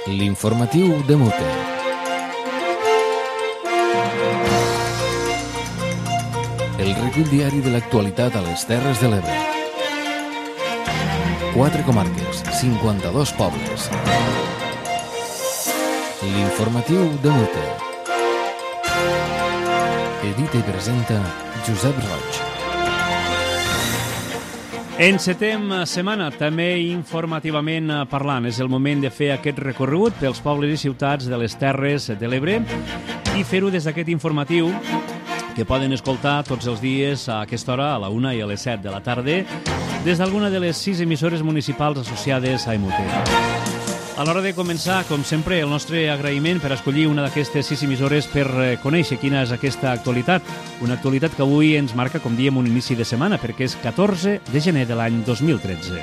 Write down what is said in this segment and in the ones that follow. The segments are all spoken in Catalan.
L'informatiu de Mute. El recull diari de l'actualitat a les Terres de l'Ebre. 4 comarques, 52 pobles. L'informatiu de Mute. Edita i presenta Josep Roig. Encetem setmana, també informativament parlant. És el moment de fer aquest recorregut pels pobles i ciutats de les Terres de l'Ebre i fer-ho des d'aquest informatiu que poden escoltar tots els dies a aquesta hora, a la 1 i a les 7 de la tarda, des d'alguna de les 6 emissores municipals associades a EMUTE. A l'hora de començar, com sempre, el nostre agraïment per escollir una d'aquestes 6 emissores per conèixer quina és aquesta actualitat. Una actualitat que avui ens marca, com diem, un inici de setmana, perquè és 14 de gener de l'any 2013.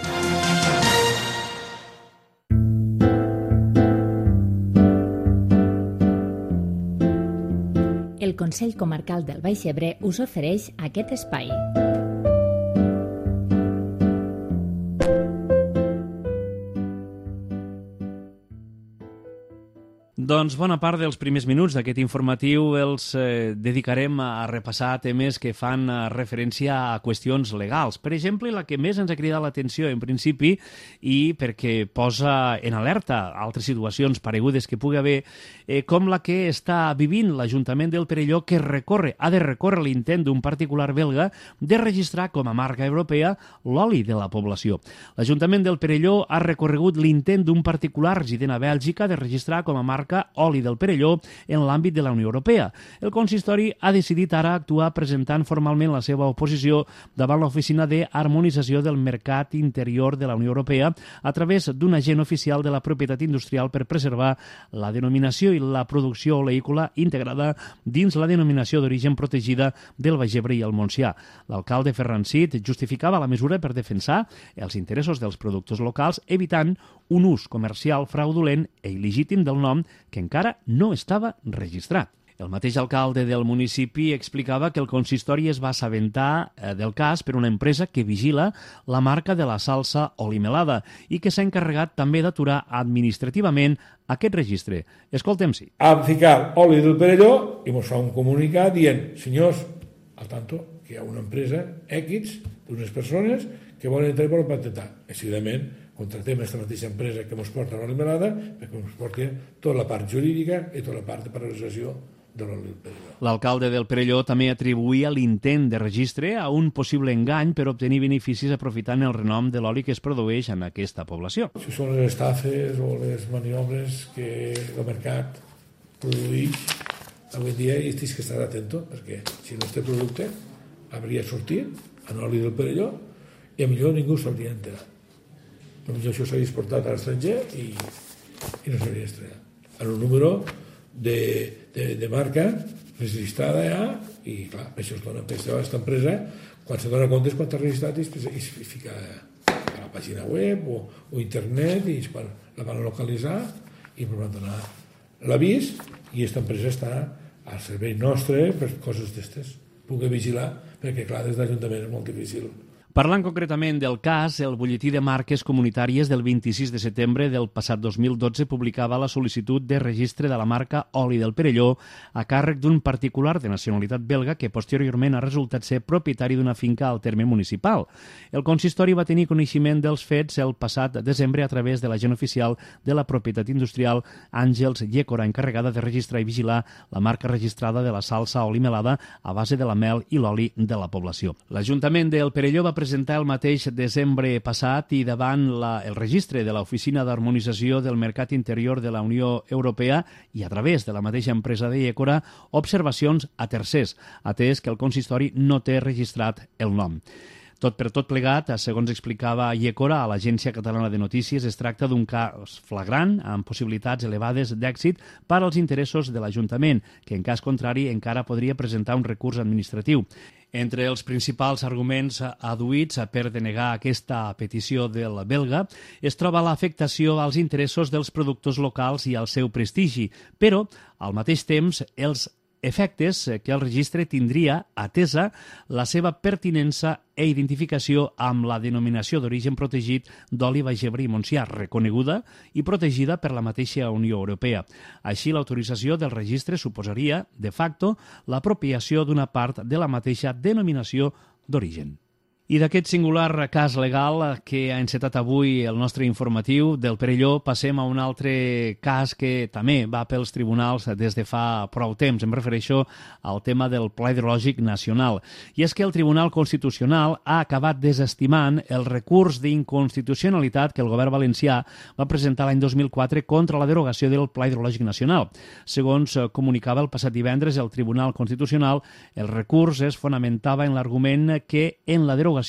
El Consell Comarcal del Baix Ebre us ofereix aquest espai. Doncs bona part dels primers minuts d'aquest informatiu els dedicarem a repassar temes que fan referència a qüestions legals. Per exemple, la que més ens ha cridat l'atenció en principi i perquè posa en alerta altres situacions paregudes que pugui haver, com la que està vivint l'Ajuntament del Perelló, que ha de recórrer l'intent d'un particular belga de registrar com a marca europea l'oli de la població. L'Ajuntament del Perelló ha recorregut l'intent d'un particular resident a Bèlgica de registrar com a marca oli del Perelló en l'àmbit de la Unió Europea. El consistori ha decidit ara actuar presentant formalment la seva oposició davant l'Oficina d'Harmonització del Mercat Interior de la Unió Europea a través d'un agent oficial de la propietat industrial per preservar la denominació i la producció oleícola integrada dins la denominació d'origen protegida del Baix Ebre i el Montsià. L'alcalde Ferran Cid justificava la mesura per defensar els interessos dels productors locals, evitant un ús comercial fraudulent i il·legítim del nom que encara no estava registrat. El mateix alcalde del municipi explicava que el consistori es va assabentar del cas per una empresa que vigila la marca de la salsa Olimelada i que s'ha encarregat també d'aturar administrativament aquest registre. Escoltem-s'hi. Vam ficar oli del Perelló i ens fa un comunicat dient, senyors, al tanto, que hi ha una empresa X d'unes persones que volen entrar per patentar. Decididament, contractem aquesta mateixa empresa que ens porta l'olimelada perquè ens porti tota la part jurídica i tota la part de paralització de l'oli del Perelló. L'alcalde del Perelló també atribuïa l'intent de registre a un possible engany per obtenir beneficis aprofitant el renom de l'oli que es produeix en aquesta població. Si són les estafes o les maniobres que el mercat produeix avui dia, i tens que estar atento, perquè si no este producte hauria sortit en oli del Perelló i a millor ningú s'hauria enterat. Potser això s'hauria exportat a l'estranger i no s'hauria estrenat. En un número de marca registrada ja, i clar, això es dona per aquesta empresa, quan se dona compte quan t'ha registrat i es fica a la pàgina web o internet i quan la van localitzar i van donar l'avís i aquesta empresa està al servei nostre per coses d'estes. Puc vigilar perquè clar, des de l'Ajuntament és molt difícil. Parlant concretament del cas, el butlletí de marques comunitàries del 26 de setembre del passat 2012 publicava la sol·licitud de registre de la marca Oli del Perelló a càrrec d'un particular de nacionalitat belga que posteriorment ha resultat ser propietari d'una finca al terme municipal. El consistori va tenir coneixement dels fets el passat desembre a través de l'agent oficial de la propietat industrial Àngels Llécora, encarregada de registrar i vigilar la marca registrada de la salsa Olimelada a base de la mel i l'oli de la població. L'Ajuntament del Perelló va presentar el mateix desembre passat i davant el registre de l'Oficina d'Harmonització del Mercat Interior de la Unió Europea i a través de la mateixa empresa de Llécora observacions a tercers, atès que el consistori no té registrat el nom. Tot per tot plegat, segons explicava Llécora a l'Agència Catalana de Notícies, es tracta d'un cas flagrant amb possibilitats elevades d'èxit per als interessos de l'Ajuntament, que en cas contrari encara podria presentar un recurs administratiu. Entre els principals arguments adduïts per denegar aquesta petició del belga es troba l'afectació als interessos dels productors locals i al seu prestigi, però, al mateix temps, els efectes que el registre tindria atesa la seva pertinença i identificació amb la denominació d'origen protegit d'oli Baix Ebre i Montsià, reconeguda i protegida per la mateixa Unió Europea. Així, l'autorització del registre suposaria, de facto, l'apropiació d'una part de la mateixa denominació d'origen. I d'aquest singular cas legal que ha encetat avui el nostre informatiu del Perelló passem a un altre cas que també va pels tribunals des de fa prou temps. Em refereixo al tema del Pla Hidrològic Nacional. I és que el Tribunal Constitucional ha acabat desestimant el recurs d'inconstitucionalitat que el govern valencià va presentar l'any 2004 contra la derogació del Pla Hidrològic Nacional. Segons comunicava el passat divendres el Tribunal Constitucional, el recurs es fonamentava en l'argument que en la derogació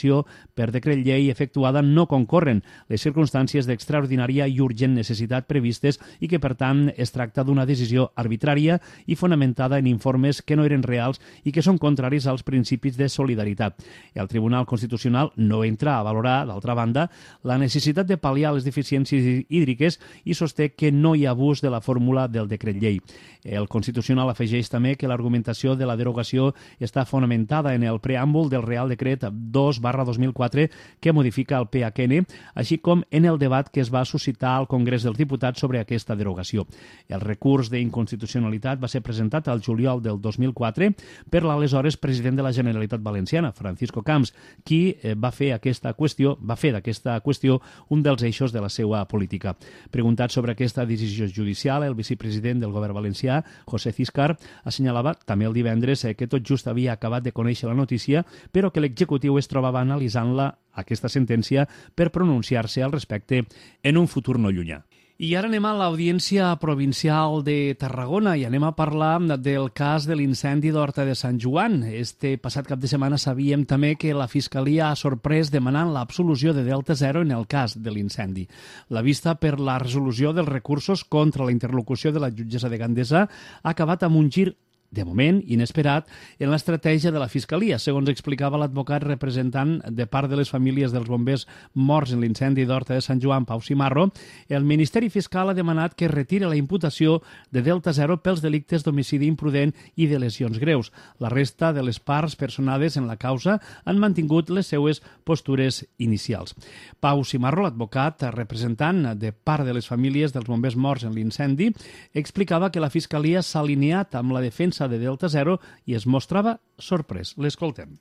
per decret llei efectuada no concorren les circumstàncies d'extraordinària i urgent necessitat previstes i que, per tant, es tracta d'una decisió arbitrària i fonamentada en informes que no eren reals i que són contraris als principis de solidaritat. El Tribunal Constitucional no entra a valorar, d'altra banda, la necessitat de pal·liar les deficiències hídriques i sosté que no hi ha abús de la fórmula del decret llei. El Constitucional afegeix també que l'argumentació de la derogació està fonamentada en el preàmbul del Real Decret 2/2004 que modifica el PHN, així com en el debat que es va suscitar al Congrés dels Diputats sobre aquesta derogació. El recurs d'inconstitucionalitat va ser presentat al juliol del 2004 per l'aleshores president de la Generalitat Valenciana, Francisco Camps, qui va fer d'aquesta qüestió un dels eixos de la seva política. Preguntat sobre aquesta decisió judicial, el vicepresident del govern valencià, José Ciscar, assenyalava també el divendres que tot just havia acabat de conèixer la notícia, però que l'executiu es trobava analitzant-la, aquesta sentència, per pronunciar-se al respecte en un futur no llunyà. I ara anem a l'Audiència Provincial de Tarragona i anem a parlar del cas de l'incendi d'Horta de Sant Joan. Este passat cap de setmana sabíem també que la Fiscalia ha sorprès demanant l'absolució de Delta Zero en el cas de l'incendi. La vista per la resolució dels recursos contra la interlocució de la jutgessa de Gandesa ha acabat amb un gir de moment inesperat, en l'estratègia de la Fiscalia. Segons explicava l'advocat representant de part de les famílies dels bombers morts en l'incendi d'Horta de Sant Joan, Pau Cimarro, el Ministeri Fiscal ha demanat que retire la imputació de Delta Zero pels delictes d'homicidi imprudent i de lesions greus. La resta de les parts personades en la causa han mantingut les seues postures inicials. Pau Cimarro, l'advocat representant de part de les famílies dels bombers morts en l'incendi, explicava que la Fiscalia s'ha alineat amb la defensa de Delta Zero i es mostrava sorprès. L'escoltem.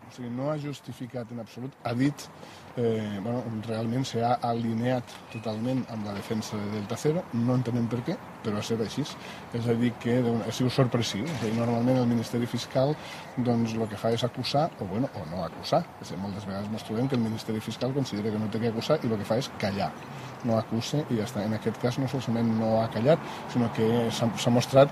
O sigui, no ha justificat en absolut, ha dit, realment s'ha alineat totalment amb la defensa de Delta Zero, no entenem per què, però ha estat així. És a dir, que ha sigut sorpressiu. És a dir, normalment el Ministeri Fiscal doncs, el que fa és acusar, o no acusar. És a dir, moltes vegades ens trobem que el Ministeri Fiscal considera que no té que acusar i el que fa és callar. No acusa i ja està. En aquest cas no solament no ha callat, sinó que s'ha mostrat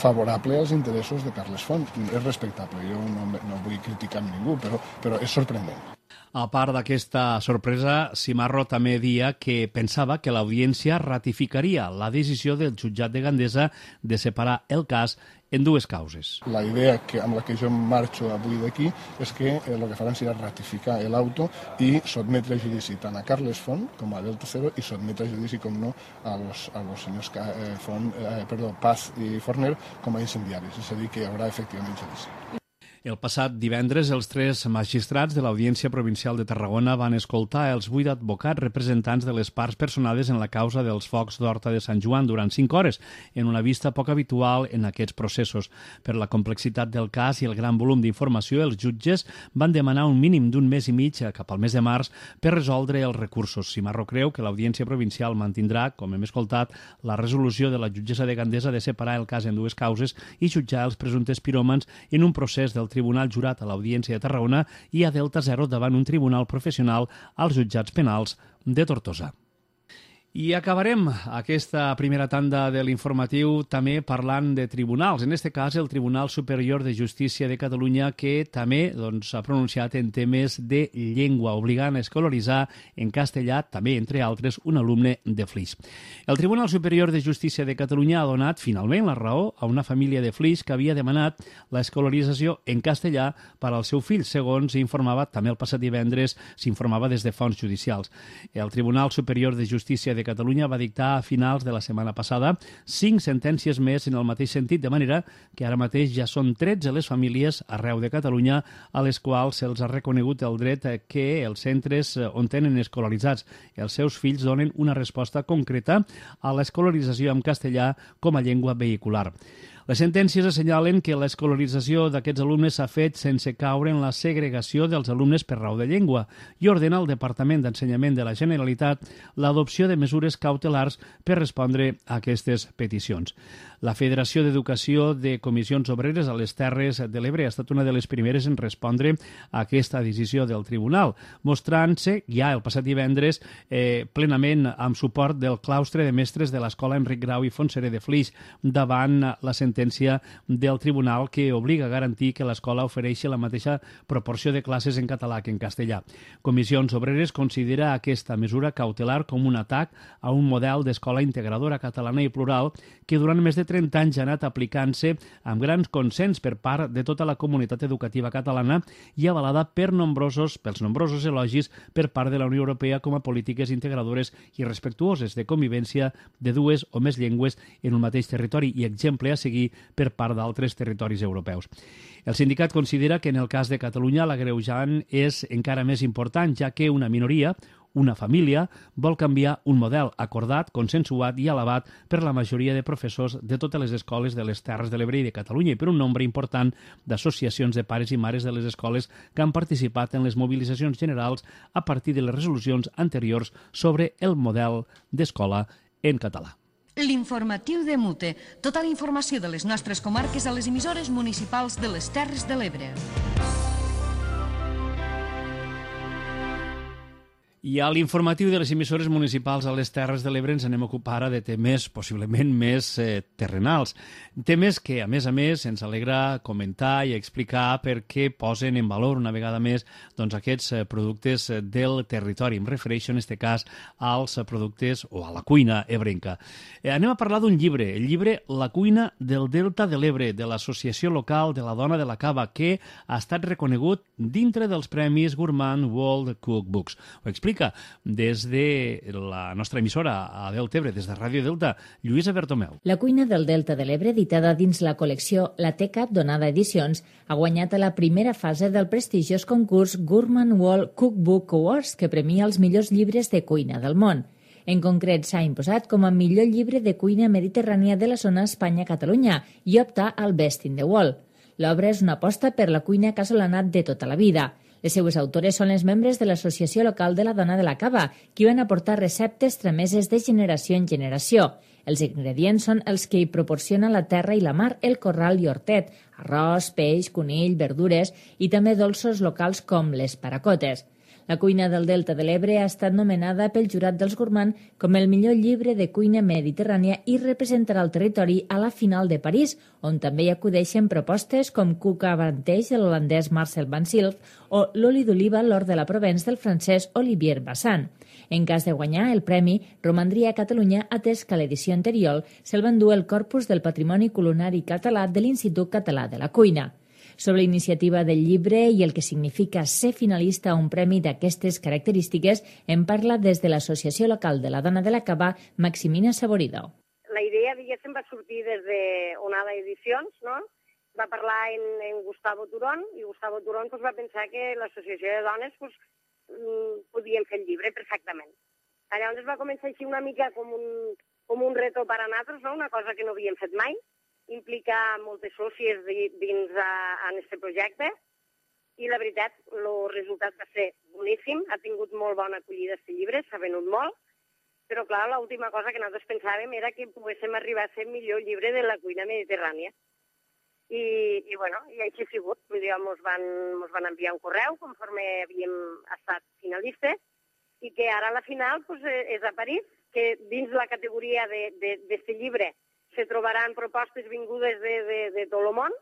favorable als interessos de Carles Font. És respectable, jo no vull criticar amb ningú, però és sorprenent. A part d'aquesta sorpresa, Cimarro també deia que pensava que l'Audiència ratificaria la decisió del jutjat de Gandesa de separar el cas en dues causes. La idea amb la que jo marxo avui d'aquí és que el que faran serà ratificar l'auto i sotmetre a judici tant a Carles Font com a Delta Zero i sotmetre a judici, com no, a los senyors Paz i Forner com a incendiaris. És a dir, que hi haurà efectivament judici. El passat divendres, els 3 magistrats de l'Audiència Provincial de Tarragona van escoltar els 8 advocats representants de les parts personades en la causa dels focs d'Horta de Sant Joan durant 5 hores, en una vista poc habitual en aquests processos. Per la complexitat del cas i el gran volum d'informació, els jutges van demanar un mínim d'un mes i mig cap al mes de març per resoldre els recursos. Cimarro creu que l'Audiència Provincial mantindrà, com hem escoltat, la resolució de la jutgessa de Gandesa de separar el cas en dues causes i jutjar els presumptes piròmans en un procés del Tribunal Jurat a l'Audiència de Tarragona i a Delta Zero davant un tribunal professional als jutjats penals de Tortosa. I acabarem aquesta primera tanda de l'informatiu també parlant de tribunals. En aquest cas, el Tribunal Superior de Justícia de Catalunya, que també s'ha pronunciat en temes de llengua, obligant a escolaritzar en castellà, també, entre altres, un alumne de Flix. El Tribunal Superior de Justícia de Catalunya ha donat finalment la raó a una família de Flix que havia demanat l'escolarització en castellà per al seu fill, segons informava també el passat divendres, s'informava des de fonts judicials. El Tribunal Superior de Justícia de de Catalunya va dictar a finals de la setmana passada 5 sentències més en el mateix sentit, de manera que ara mateix ja són 13 les famílies arreu de Catalunya a les quals se'ls ha reconegut el dret que els centres on tenen escolaritzats els seus fills donen una resposta concreta a l'escolarització en castellà com a llengua vehicular. Les sentències assenyalen que l'escolarització d'aquests alumnes s'ha fet sense caure en la segregació dels alumnes per raó de llengua i ordena al Departament d'Ensenyament de la Generalitat l'adopció de mesures cautelars per respondre a aquestes peticions. La Federació d'Educació de Comissions Obreres a les Terres de l'Ebre ha estat una de les primeres en respondre a aquesta decisió del Tribunal, mostrant-se ja el passat divendres plenament amb suport del claustre de mestres de l'Escola Enric Grau i Fontserè de Flix davant la sentència del Tribunal que obliga a garantir que l'escola ofereixi la mateixa proporció de classes en català que en castellà. Comissions Obreres considera aquesta mesura cautelar com un atac a un model d'escola integradora catalana i plural que durant més de 30 anys ha anat aplicant-se amb grans consens per part de tota la comunitat educativa catalana i avalada pels nombrosos elogis per part de la Unió Europea com a polítiques integradores i respectuoses de convivència de dues o més llengües en un mateix territori i exemple a seguir per part d'altres territoris europeus. El sindicat considera que en el cas de Catalunya l'agreujant és encara més important, ja que una minoria, una família, vol canviar un model acordat, consensuat i alabat per la majoria de professors de totes les escoles de les Terres de l'Ebre i de Catalunya i per un nombre important d'associacions de pares i mares de les escoles que han participat en les mobilitzacions generals a partir de les resolucions anteriors sobre el model d'escola en català. L'informatiu de Mute. Tota la informació de les nostres comarques a les emissores municipals de les Terres de l'Ebre. I a l'informatiu de les emissores municipals a les Terres de l'Ebre ens anem a ocupar ara de temes possiblement més terrenals. Temes que, a més, ens alegra comentar i explicar perquè posen en valor una vegada més aquests productes del territori. Em refereixo en aquest cas als productes o a la cuina ebrenca. Anem a parlar d'un llibre, el llibre La cuina del Delta de l'Ebre, de l'Associació Local de la Dona de la Cava, que ha estat reconegut dintre dels Premis Gourmand World Cookbooks. Ho explica des de la nostra emissora a Delta Ebre, des de Ràdio Delta, Lluïsa Bertomeu. La cuina del Delta de l'Ebre, editada dins la col·lecció La Teca Donada Edicions, ha guanyat a la primera fase del prestigiós concurs Gourmand World Cookbook Awards, que premia els millors llibres de cuina del món. En concret, s'ha imposat com a millor llibre de cuina mediterrània de la zona Espanya-Catalunya i opta al Best in the World. L'obra és una aposta per la cuina casolana de tota la vida. Les seues autores són les membres de l'Associació Local de la Dona de la Cava, qui van aportar receptes trameses de generació en generació. Els ingredients són els que hi proporciona la terra i la mar, el corral i hortet, arròs, peix, conill, verdures i també dolços locals com les paracotes. La cuina del Delta de l'Ebre ha estat nomenada pel jurat dels Gourmand com el millor llibre de cuina mediterrània i representarà el territori a la final de París, on també hi acudeixen propostes com Cuca Avanteix de l'holandès Marcel Van Silf o l'oli d'oliva l'or de la Provence del francès Olivier Bassan. En cas de guanyar el premi, romandria a Catalunya, atès que a l'edició anterior se'l va endur el Corpus del Patrimoni Culinari Català de l'Institut Català de la Cuina. Sobre la iniciativa del llibre i el que significa ser finalista a un premi d'aquestes característiques, en parla des de l'Associació Local de la Dona de la Cava, Maximina Saborido. La idea, diguéssim, va sortir des d'Onada Edicions, no? Va parlar en Gustavo Turón, i Gustavo Turón va pensar que l'Associació de Dones podien fer el llibre perfectament. Llavors va començar així una mica com un reto per a nosaltres, no? Una cosa que no havíem fet mai, implicar moltes sòcies dins en aquest projecte i la veritat, el resultat va ser boníssim, ha tingut molt bona acollida aquest llibre, s'ha venut molt, però clar, l'última cosa que nosaltres pensàvem era que poguéssim arribar a ser el millor llibre de la cuina mediterrània. I bueno, i així ha sigut, vull dir, ens van enviar un correu conforme havíem estat finalistes i que ara la final és a París, que dins la categoria d'aquest llibre se trobaran propostes vingudes de tot el món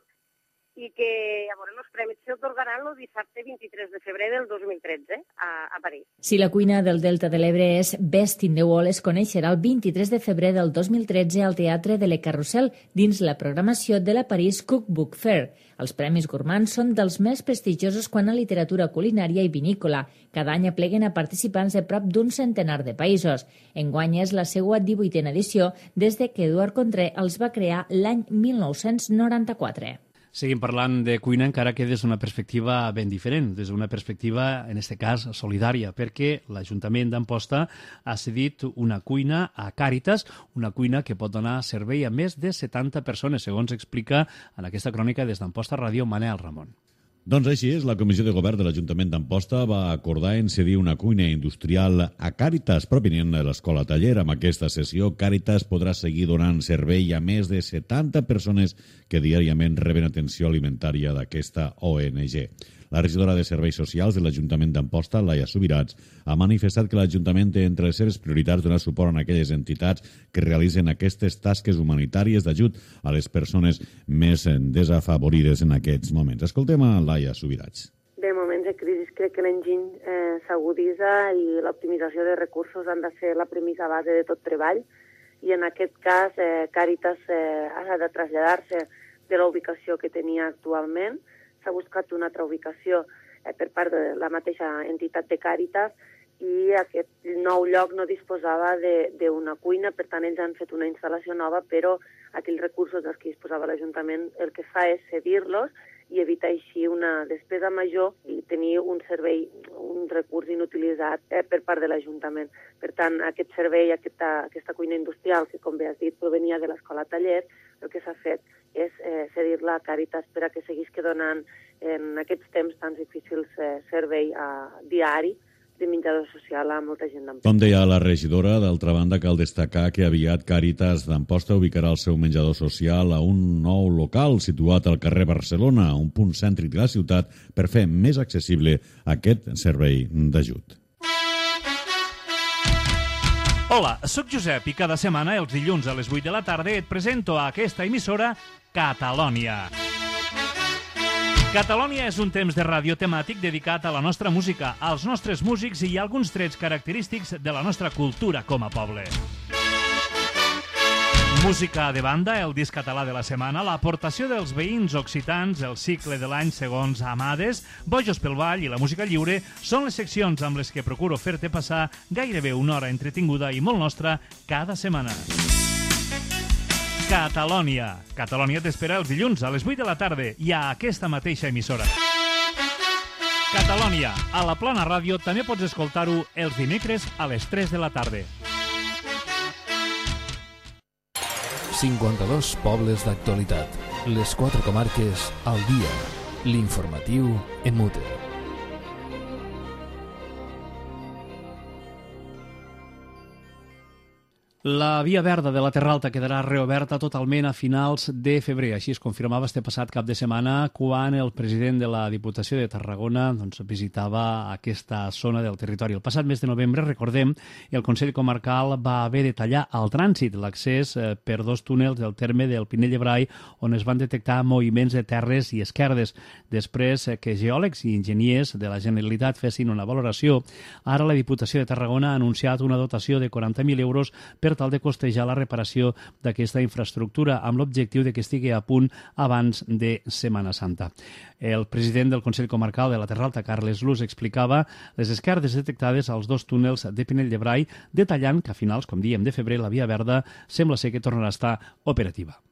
i que llavors els premis s'atorgaran el dissabte 23 de febrer del 2013 a París. Si la cuina del Delta de l'Ebre és Best in the Wall, es coneixerà el 23 de febrer del 2013 al Teatre de Le Carrousel dins la programació de la París Cookbook Fair. Els Premis Gourmand són dels més prestigiosos quant a literatura culinària i vinícola. Cada any apleguen a participants de prop d'un centenar de països. Enguany és la seva 18a edició des de que Eduard Contré els va crear l'any 1994. Seguim parlant de cuina, encara que des d'una perspectiva ben diferent, des d'una perspectiva, en aquest cas, solidària, perquè l'Ajuntament d'Amposta ha cedit una cuina a Càritas, una cuina que pot donar servei a més de 70 persones, segons explica en aquesta crònica des d'Amposta Ràdio Manel Ramon. Doncs així és, la Comissió de Govern de l'Ajuntament d'Amposta va acordar en cedir una cuina industrial a Càritas, provenient de l'Escola Taller. Amb aquesta sessió, Càritas podrà seguir donant servei a més de 70 persones que diàriament reben atenció alimentària d'aquesta ONG. La regidora de Serveis Socials de l'Ajuntament d'Amposta, Laia Subirats, ha manifestat que l'Ajuntament té entre les seves prioritats donar suport a aquelles entitats que realitzen aquestes tasques humanitàries d'ajut a les persones més desafavorides en aquests moments. Escoltem a Laia Subirats. De moments de crisi crec que l'enginy s'aguditza i l'optimització de recursos han de ser la premissa base de tot treball i en aquest cas Càritas ha de traslladar-se de la ubicació que tenia actualment. S'ha buscat una altra ubicació per part de la mateixa entitat de Càritas i aquest nou lloc no disposava d'una cuina, per tant ells han fet una instal·lació nova, però aquells recursos dels que disposava l'Ajuntament el que fa és cedir-los i evitar així una despesa major i tenir un servei, un recurs inutilitzat per part de l'Ajuntament. Per tant, aquest servei, aquesta cuina industrial, que com bé has dit provenia de l'Escola Taller, el que s'ha fet és cedir-la a Càritas per a que seguís donant en aquests temps tan difícils servei diari de menjador social a molta gent d'Amposta. Com deia la regidora, d'altra banda cal destacar que aviat Càritas d'Amposta ubicarà el seu menjador social a un nou local situat al carrer Barcelona, un punt cèntric de la ciutat, per fer més accessible aquest servei d'ajut. Hola, sóc Josep i cada setmana, els dilluns a les 8 de la tarda, et presento a aquesta emissora Catalònia. Catalònia és un temps de ràdio temàtic dedicat a la nostra música, als nostres músics i a alguns trets característics de la nostra cultura com a poble. Música de banda, el disc català de la setmana, l'aportació dels veïns occitans, el cicle de l'any segons Amades, Bojos pel Ball i la música lliure són les seccions amb les que procuro fer-te passar gairebé una hora entretinguda i molt nostra cada setmana. Catalònia. Catalònia t'espera els dilluns a les 8 de la tarda i a aquesta mateixa emissora. Catalònia. A la Plana Ràdio també pots escoltar-ho els dimecres a les 3 de la tarda. 52 pobles d'actualitat. Les 4 comarques al dia. L'informatiu en mute. La via verda de la Terra Alta quedarà reoberta totalment a finals de febrer. Així es confirmava este passat cap de setmana quan el president de la Diputació de Tarragona visitava aquesta zona del territori. El passat mes de novembre, recordem, el Consell Comarcal va haver de tallar al trànsit l'accés per 2 túnels del terme del Pinell de Brai on es van detectar moviments de terres i esquerdes. Després que geòlegs i enginyers de la Generalitat fessin una valoració, ara la Diputació de Tarragona ha anunciat una dotació de 40.000 euros per tal de costejar la reparació d'aquesta infraestructura amb l'objectiu de que estigui a punt abans de Setmana Santa. El president del Consell Comarcal de la Terra Alta, Carles Luz, explicava les esquerdes detectades als 2 túnels de Pinell de Brai, detallant que a finals, com diem, de febrer, la via verda sembla ser que tornarà a estar operativa.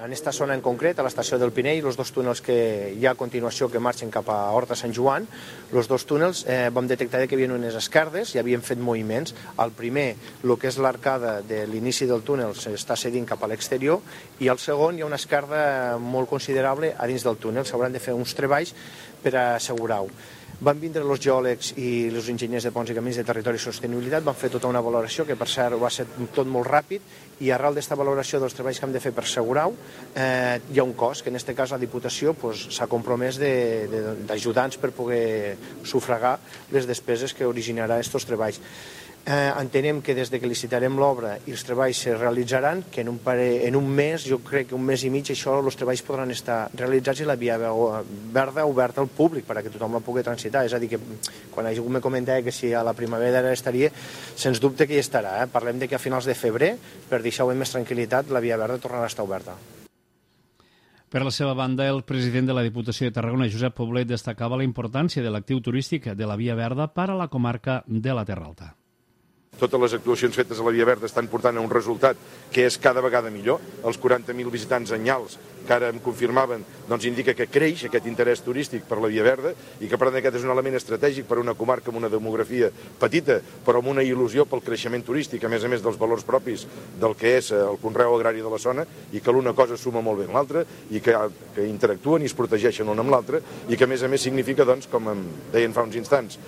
En esta zona en concret, a l'estació del Pinell, els 2 túnels que hi ha a continuació que marxen cap a Horta Sant Joan, els 2 túnels vam detectar que hi havia unes esquerdes i havien fet moviments. El primer, el que és l'arcada de l'inici del túnel, s'està cedint cap a l'exterior i el segon hi ha una esquerda molt considerable a dins del túnel. S'hauran de fer uns treballs per assegurar-ho. Van vindre els geòlegs i els enginyers de ponts i camins de territori i sostenibilitat, van fer tota una valoració, que per cert va ser tot molt ràpid, i arrel d'aquesta valoració dels treballs que hem de fer per assegurar-ho, hi ha un cost, que en aquest cas la Diputació s'ha compromès d'ajudar-nos per poder sufragar les despeses que originarà aquests treballs. Entenem que des de que licitarem l'obra i els treballs se realitzaran, que en un mes, jo crec que un mes i mig, els treballs podran estar realitzats i la via verda oberta al públic perquè tothom la pugui transitar. És a dir, que quan algú me comentava que si a la primavera estaria, sens dubte que hi estarà. Parlem de que a finals de febrer, per deixar-ho amb més tranquil·litat, la via verda tornarà a estar oberta. Per la seva banda, el president de la Diputació de Tarragona, Josep Poblet, destacava la importància de l'actiu turístic de la Via Verda per a la comarca de la Terra Alta. Totes les actuacions fetes a la Via Verda estan portant a un resultat que és cada vegada millor. Els 40.000 visitants anyals que ara em confirmaven doncs indica que creix aquest interès turístic per la Via Verda i que per tant aquest és un element estratègic per a una comarca amb una demografia petita però amb una il·lusió pel creixement turístic, a més dels valors propis del que és el conreu agrari de la zona i que l'una cosa suma molt bé amb l'altra i que interactuen i es protegeixen l'una amb l'altra i que a més significa, doncs, com em deien fa uns instants,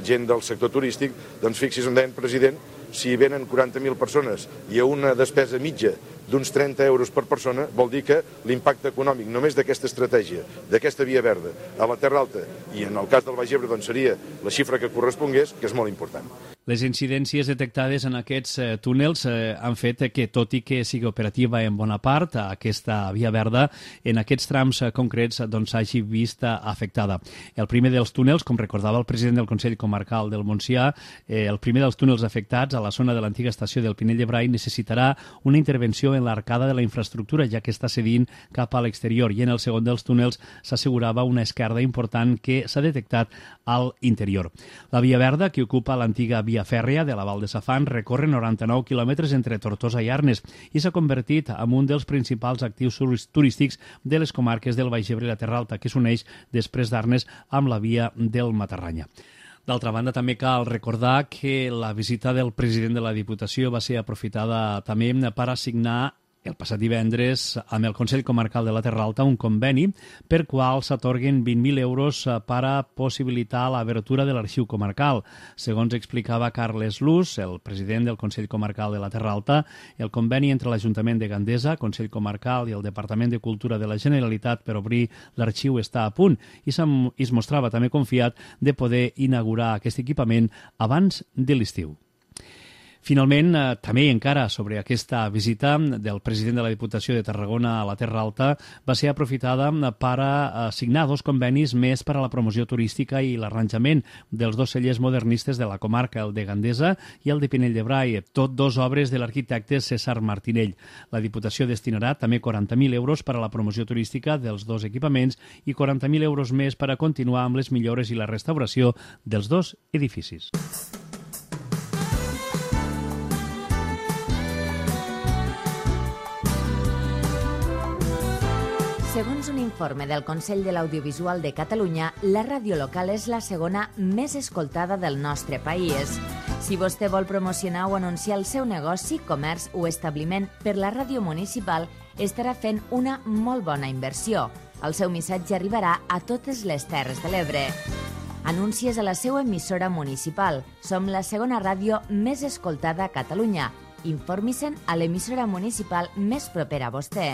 gent del sector turístic, doncs fixi's on deien, president, si venen 40.000 persones i a una despesa mitja d'uns 30 euros per persona, vol dir que l'impacte econòmic només d'aquesta estratègia, d'aquesta Via Verda, a la Terra Alta, i en el cas del Baix Ebre doncs seria la xifra que correspongués, que és molt important. Les incidències detectades en aquests túnels han fet que, tot i que sigui operativa en bona part, aquesta Via Verda, en aquests trams concrets, s'hagi vist afectada. El primer dels túnels, com recordava el president del Consell Comarcal del Montsià, el primer dels túnels afectats a la zona de l'antiga estació del Pinell de Brai necessitarà una intervenció en l'arcada de la infraestructura, ja que està cedint cap a l'exterior, i en el segon dels túnels s'assegurava una esquerda important que s'ha detectat al interior. La Via Verda, que ocupa l'antiga via fèrria de la Val de Safant, recorre 99 quilòmetres entre Tortosa i Arnes i s'ha convertit en un dels principals actius turístics de les comarques del Baix Ebre i la Terra Alta, que s'uneix després d'Arnes amb la via del Matarranya. D'altra banda, també cal recordar que la visita del president de la Diputació va ser aprofitada també per assignar el passat divendres amb el Consell Comarcal de la Terra Alta un conveni per qual s'atorguen 20.000 euros per a possibilitar l'obertura de l'arxiu comarcal. Segons explicava Carles Luz, el president del Consell Comarcal de la Terra Alta, el conveni entre l'Ajuntament de Gandesa, Consell Comarcal i el Departament de Cultura de la Generalitat per obrir l'arxiu està a punt i es mostrava també confiat de poder inaugurar aquest equipament abans de l'estiu. Finalment, també encara sobre aquesta visita del president de la Diputació de Tarragona a la Terra Alta va ser aprofitada per signar 2 convenis més per a la promoció turística i l'arranjament dels 2 cellers modernistes de la comarca, el de Gandesa i el de Pinell de Brai, tot 2 obres de l'arquitecte César Martinell. La Diputació destinarà també 40.000 euros per a la promoció turística dels 2 equipaments i 40.000 euros més per a continuar amb les millores i la restauració dels 2 edificis. Segons un informe del Consell de l'Audiovisual de Catalunya, la ràdio local és la segona més escoltada del nostre país. Si vostè vol promocionar o anunciar el seu negoci, comerç o establiment per la ràdio municipal, estarà fent una molt bona inversió. El seu missatge arribarà a totes les Terres de l'Ebre. Anuncies a la seva emissora municipal. Som la segona ràdio més escoltada a Catalunya. Informi-se'n a l'emissora municipal més propera a vostè.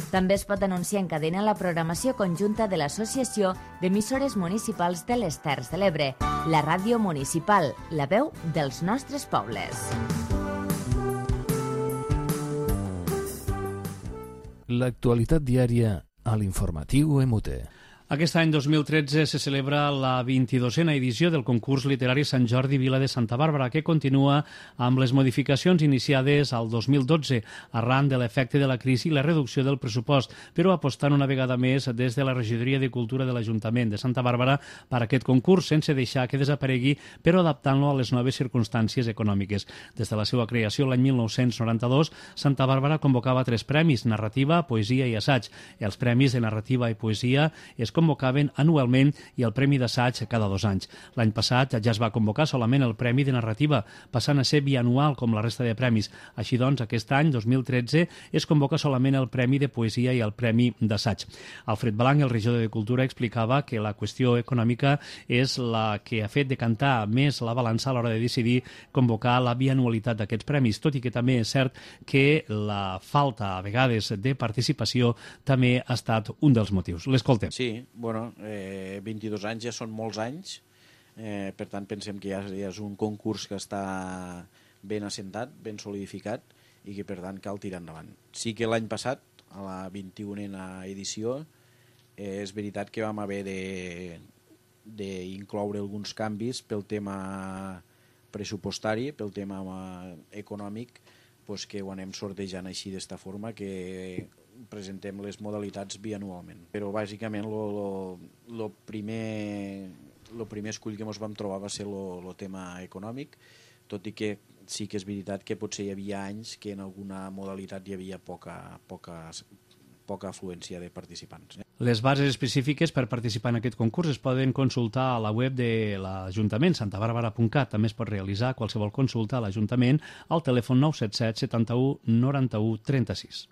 També es pot anunciar en cadena la programació conjunta de l'Associació d'Emissores Municipals de les Terres de l'Ebre, la ràdio municipal, la veu dels nostres pobles. L'actualitat diària a l'informatiu EMUTE. Aquest any 2013 se celebra la 22a edició del concurs literari Sant Jordi Vila de Santa Bàrbara, que continua amb les modificacions iniciades al 2012 arran de l'efecte de la crisi i la reducció del pressupost, però apostant una vegada més des de la Regidoria de Cultura de l'Ajuntament de Santa Bàrbara per aquest concurs, sense deixar que desaparegui, però adaptant-lo a les noves circumstàncies econòmiques. Des de la seva creació l'any 1992, Santa Bàrbara convocava 3 premis, narrativa, poesia i assaig. Els premis de narrativa i poesia es convocaven anualment i el Premi d'Assaig cada 2 anys. L'any passat ja es va convocar solament el Premi de Narrativa, passant a ser bianual com la resta de premis. Així doncs, aquest any, 2013, es convoca solament el Premi de Poesia i el Premi d'Assaig. Alfred Blanc, el regidor de Cultura, explicava que la qüestió econòmica és la que ha fet decantar més la balança a l'hora de decidir convocar la bianualitat d'aquests premis, tot i que també és cert que la falta, a vegades, de participació també ha estat un dels motius. L'escoltem. Sí, bueno, 22 anys ja són molts anys Per tant, pensem que ja és un concurs que està ben assentat, ben solidificat i que, per tant, cal tirar endavant. Sí que l'any passat, a la 21a edició, és veritat que vam haver d'incloure alguns canvis pel tema pressupostari, pel tema econòmic, que ho anem sortejant així d'esta forma, que presentem les modalitats bianualment. Però bàsicament el primer escull que ens vam trobar va ser el tema econòmic, tot i que sí que és veritat que potser hi havia anys que en alguna modalitat hi havia poca afluència de participants. Les bases específiques per participar en aquest concurs es poden consultar a la web de l'Ajuntament, santabarbara.cat. També es pot realitzar qualsevol consulta a l'Ajuntament al telèfon 977 71 91 36.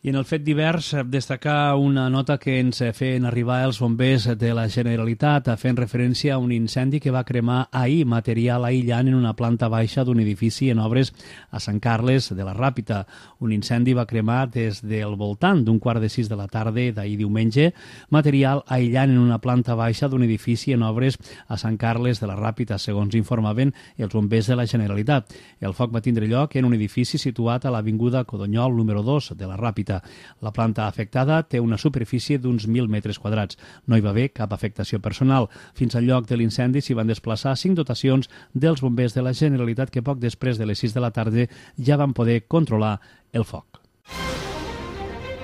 I en el fet divers, destacar una nota que ens feien arribar els bombers de la Generalitat fent referència a un incendi que va cremar ahir material aïllant en una planta baixa d'un edifici en obres a Sant Carles de la Ràpita. Un incendi va cremar des del voltant d'un 5:15 de la tarda d'ahir diumenge, material aïllant en una planta baixa d'un edifici en obres a Sant Carles de la Ràpita, segons informaven els bombers de la Generalitat. El foc va tindre lloc en un edifici situat a l'avinguda Codonyol número 2 de la Ràpita. La planta afectada té una superfície d'uns 1.000 metres quadrats. No hi va haver cap afectació personal. Fins al lloc de l'incendi s'hi van desplaçar 5 dotacions dels bombers de la Generalitat que poc després de les 6 de la tarda ja van poder controlar el foc.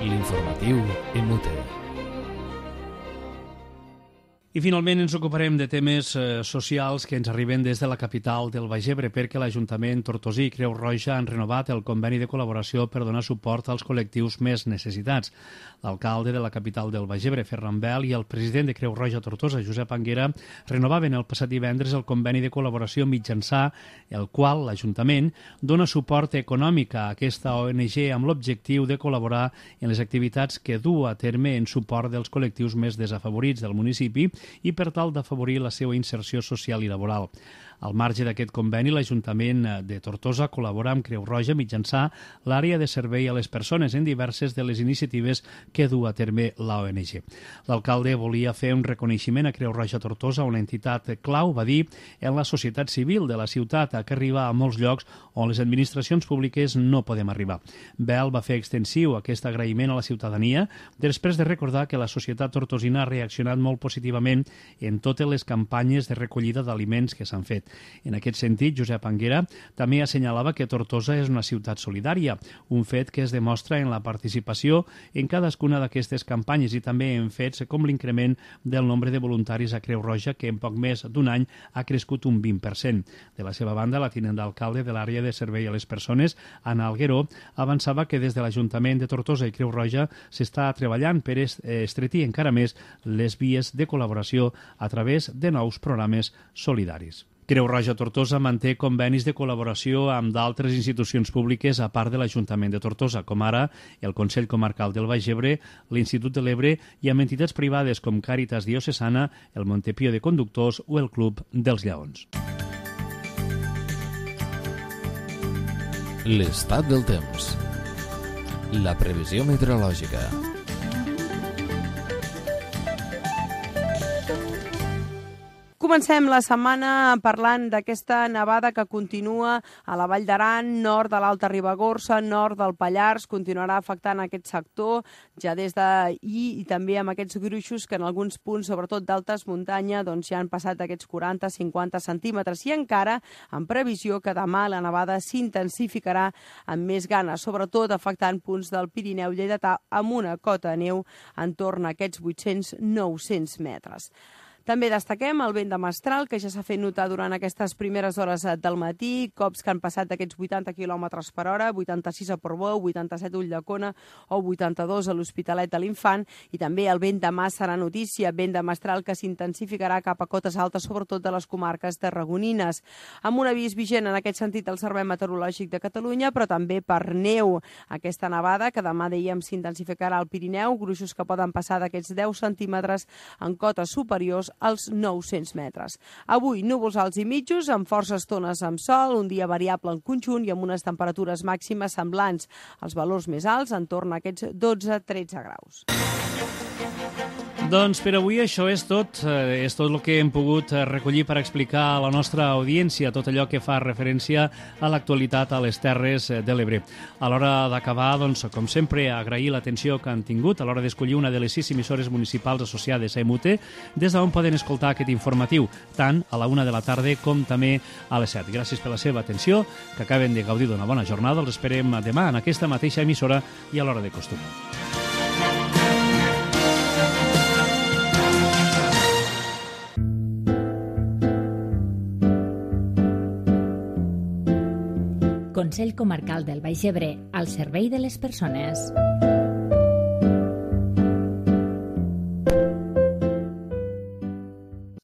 L'informatiu en Mute. I finalment ens ocuparem de temes socials que ens arriben des de la capital del Baix Ebre, perquè l'Ajuntament Tortosí i Creu Roja han renovat el conveni de col·laboració per donar suport als col·lectius més necessitats. L'alcalde de la capital del Baix Ebre, Ferran Bel, i el president de Creu Roja Tortosa, Josep Anguera, renovaven el passat divendres el conveni de col·laboració mitjançant el qual l'Ajuntament dona suport econòmic a aquesta ONG amb l'objectiu de col·laborar en les activitats que du a terme en suport dels col·lectius més desafavorits del municipi i per tal d'afavorir la seva inserció social i laboral. Al marge d'aquest conveni, l'Ajuntament de Tortosa col·labora amb Creu Roja mitjançant l'àrea de servei a les persones en diverses de les iniciatives que du a terme l'ONG. L'alcalde volia fer un reconeixement a Creu Roja Tortosa, una entitat clau, va dir, en la societat civil de la ciutat, que arriba a molts llocs on les administracions públiques no podem arribar. Bel va fer extensiu aquest agraïment a la ciutadania després de recordar que la societat tortosina ha reaccionat molt positivament en totes les campanyes de recollida d'aliments que s'han fet. En aquest sentit, Josep Anguera també assenyalava que Tortosa és una ciutat solidària, un fet que es demostra en la participació en cadascuna d'aquestes campanyes i també en fets com l'increment del nombre de voluntaris a Creu Roja, que en poc més d'un any ha crescut un 20%. De la seva banda, la tinent d'alcalde de l'àrea de servei a les persones, Anna Algueró, avançava que des de l'Ajuntament de Tortosa i Creu Roja s'està treballant per estretir encara més les vies de col·laboració a través de nous programes solidaris. Creu Roja Tortosa manté convenis de col·laboració amb d'altres institucions públiques a part de l'Ajuntament de Tortosa, com ara el Consell Comarcal del Baix Ebre, l'Institut de l'Ebre i amb entitats privades com Càritas Diocesana, el Montepío de Conductors o el Club dels Lleons. L'estat del temps. La previsió meteorològica. Comencem la setmana parlant d'aquesta nevada que continua a la Vall d'Aran, nord de l'Alta Ribagorça, nord del Pallars, continuarà afectant aquest sector ja des d'ahir i també amb aquests gruixos que en alguns punts, sobretot d'altes muntanya, doncs ja han passat aquests 40-50 centímetres i encara en previsió que demà la nevada s'intensificarà amb més ganes, sobretot afectant punts del Pirineu lleidatà amb una cota de neu en torn a aquests 800-900 metres. També destaquem el vent de mestral, que ja s'ha fet notar durant aquestes primeres hores del matí, cops que han passat d'aquests 80 km per hora, 86 a Portbou, 87 a Ulldecona o 82 a l'Hospitalet de l'Infant, i també el vent de mà serà notícia, vent de mestral que s'intensificarà cap a cotes altes, sobretot de les comarques tarragonines. Amb un avís vigent en aquest sentit al Servei Meteorològic de Catalunya, però també per neu. Aquesta nevada, que demà dèiem s'intensificarà al Pirineu, gruixos que poden passar d'aquests 10 centímetres en cotes superiors als 900 metres. Avui, núvols alts i mitjos, amb forces estones amb sol, un dia variable en conjunt i amb unes temperatures màximes semblants. Els valors més alts en torn a aquests 12-13 graus. Doncs per avui això és tot el que hem pogut recollir per explicar a la nostra audiència tot allò que fa referència a l'actualitat a les Terres de l'Ebre. A l'hora d'acabar, doncs, com sempre, agrair l'atenció que han tingut a l'hora d'escollir una de les 6 emissores municipals associades a EMUTE, des d'on poden escoltar aquest informatiu, tant a la 1 de la tarda com també a les 7. Gràcies per la seva atenció, que acaben de gaudir d'una bona jornada. Els esperem demà en aquesta mateixa emissora i a l'hora de costum. Consell Comarcal del Baix Ebre, al servei de les persones.